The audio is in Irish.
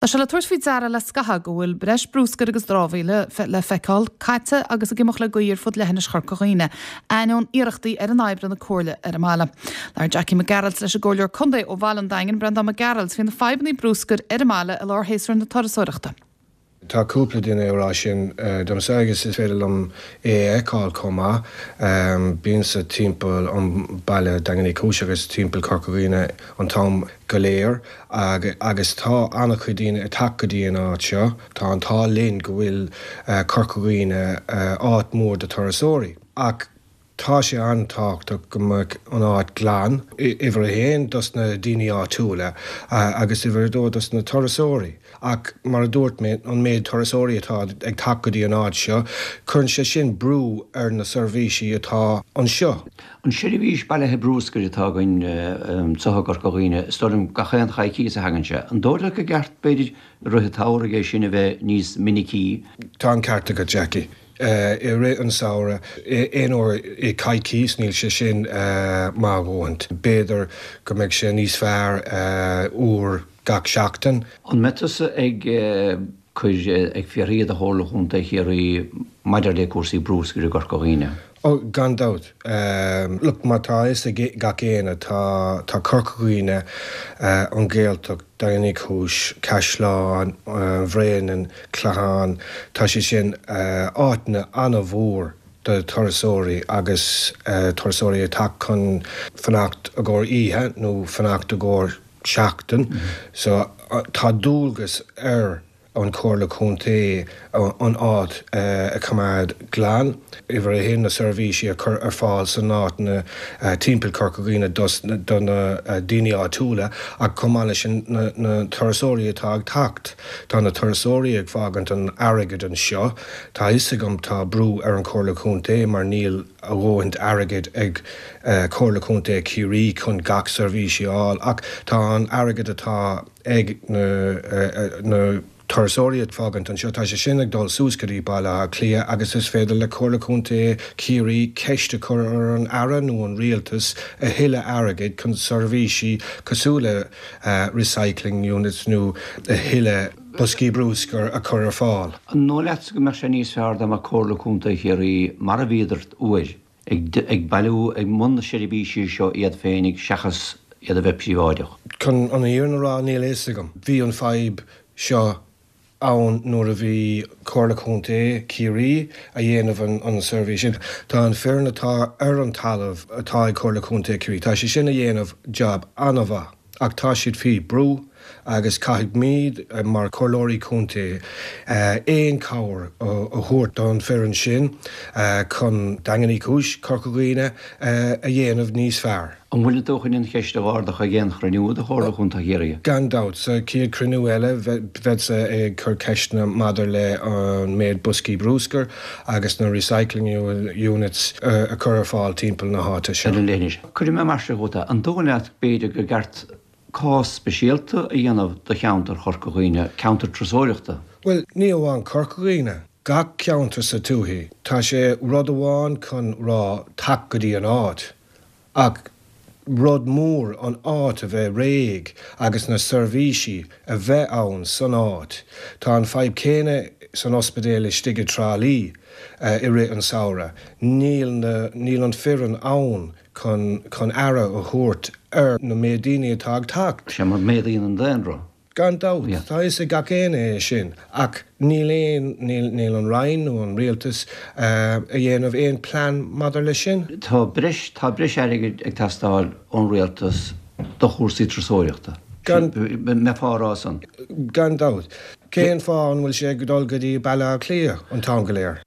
Tá sé le tabhairt faoi deara le scaitheamh go bhfuil breis brúscair agus dramhaíola le feiceáil caite agus ag imeacht le gaoth ar fud leithinis Chorca Dhuibhne, ainneoin iarrachtaí ar fhoireann oibre na Comhairle ar an mbaile. Labhair Jackie Mac Gearailt leis an gComhairleoir Contae ó bhaile an Daingin, Breandán Mac Gearailt, faoi na fadhbanna brúscair ar an mbaile i lár shéasúr na turasóireachta. Tá cúpla duine ag rá sin domsa agus is féidir liom é a fheiceáil chomh maith. Bímse timpeall an baile Daingean Uí Chúis agus timpeall Corca Dhuibhne an t-am go léir agus tá an-chuid daoine ag teacht go dtí an áit seo. Tá an t-ádh linn go bhfuil Corca Dhuibhne áit mór do turasóirí ach Tá sé an-tábhachtach go mbeadh an áit glan, uimhir a haon dos na daoine áitiúla agus uimhir a dó dos na turasóirí. Ach mar a dúirt mé, an méid turasóirí atá ag teacht go dtí an áit seo, cuireann sé sin brú ar na seirbhísí atá anseo. An seirbhís bailithe brúscair atá againn anseo i gCorca Dhuibhne, is dóigh liom gach aon choicíos a thagann sé. An dóigh leat gur ceart, b'fhéidir, i rith an tsamhraidh é sin a bheith níos minicí? Tá an ceart agat, Jackie. I rith an samhradh, aon uair i coicís, níl sé sin maith a dhóthaint. B'fhéidir go mbeidh sé níos fearr uair gach seachtain. An mbeidh tusa ag cur, ag fiafraí de Chomhairle Chontae Chiarraí maidir le cúrsaí brúscair i gCorca Dhuibhne? Ó, gan dabht. Look, mar tá a fhios ag gach éinne, tá, tá Corca Dhuibhne, an Ghaeltacht, Daingean Uí Chúis, Caisleán Bhréanainn, Clachán, tá sé sin áiteanna an-mhór do turasóirí agus turasóirí ag teacht chun fanacht i gcomhair oíche nó fanacht i gcomhair seachtain. So tá dualgas ar an Chomhairle Contae an áit a choimeád glan. Uimhir a haon, na seirbhísí a chur ar fáil san áiteanna timpeall Chorca Dhuibhne dos do na daoine áitiúla ach chomh maith leis sin na turasóirí atá ag teacht. Tá na turasóirí ag fágaint an airgid anseo. Tá a fhios agam tá brú ar an Chomhairle Contae mar níl a dhóthaint airgid ag Comhairle Contae Chiarraí chun gach seirbhísí a fháil ach tá an airgead atá ag na turasóirí ag fágaint anseo, tá sé sin ag dul suas go dtí Baile Átha Cliath agus is féidir le Comhairle Contae Chiarraí ceist a chur ar an Aire nó an Rialtas a thuilleadh airgid chun seirbhísí cosúil le recycling units nó a thuilleadh boscaí brúscair a chur ar fáil. An dóigh leatsa go mbeadh sé níos fearr dá mbeadh Comhairle Contae Chiarraí mar a bhíodar uair ag bailiú, ag mbun na seirbhísí seo iad féinig seachas iad a bheith príobháideach? Chun an fhírinne a rá, níl a fhios agam. Bhí an fadhb seo ann nuair a bhí Comhairle Contae Chiarraí a dhéanamh an seirbhís sin. Tá an foireann atá ar an talamh atá ag Comhairle Contae Chiarraí, tá sé sin a dhéanamh jab an-mhaith ach tá siad faoi brú agus caithfimid mar Chomhairleoirí Contae aon cabhair a thabhairt don foireann sin chun Daingean Uí Chúis, Corca Dhuibhne a dhéanamh níos fearr. An bhfuil tú chun an cheist a ardach ag aon chruinniú de Chomhairle Chontae Chiarraí? Gan dabht. Sa chéad chruinniú eile, beadsa ag cur ceisteanna maidir le an méid boscaí brúscair agus na recycling units a chur ar fáil timpeall na háite seo. Ar an leithinis. Cuirfidh mé mar seo chugat é. An dóigh leat, b'fhéidir, gur ceart cás speisialta a dhéanamh do cheantar Chorca Dhuibhne, ceantar turasóireachta? Bhuel, ní amháin Corca Dhuibhne. Gach ceantar sa tuaithe. Tá sé rud amháin chun rá teacht go dtí an áit. Ach rud mór an áit a bheith réidh agus na seirbhísí a bheith ann san áit. Tá an fadhb céanna san ospidéal istigh i dTrá Lí i rith an samhradh. Níl na, níl an foireann ann chun, chun aire a thabhairt ar na méid daoine atá ag teacht. Sea, mar méadaíonn an daonra. Gan dabht, tá a fhios ag gach éinne é sin, ach níl aon, níl, níl an Roinn nó an Rialtas a dhéanamh aon plean maidir leis sin. Tá breis, tá breis airgid ag teastáil ón Rialtas do chúrsaí turasóireachta. Gan. Mbeifeá á rá san? Gan dabht. Cén fáth an bhfuil sé ag dul go dtí Baile Átha Cliath an t-am go léir?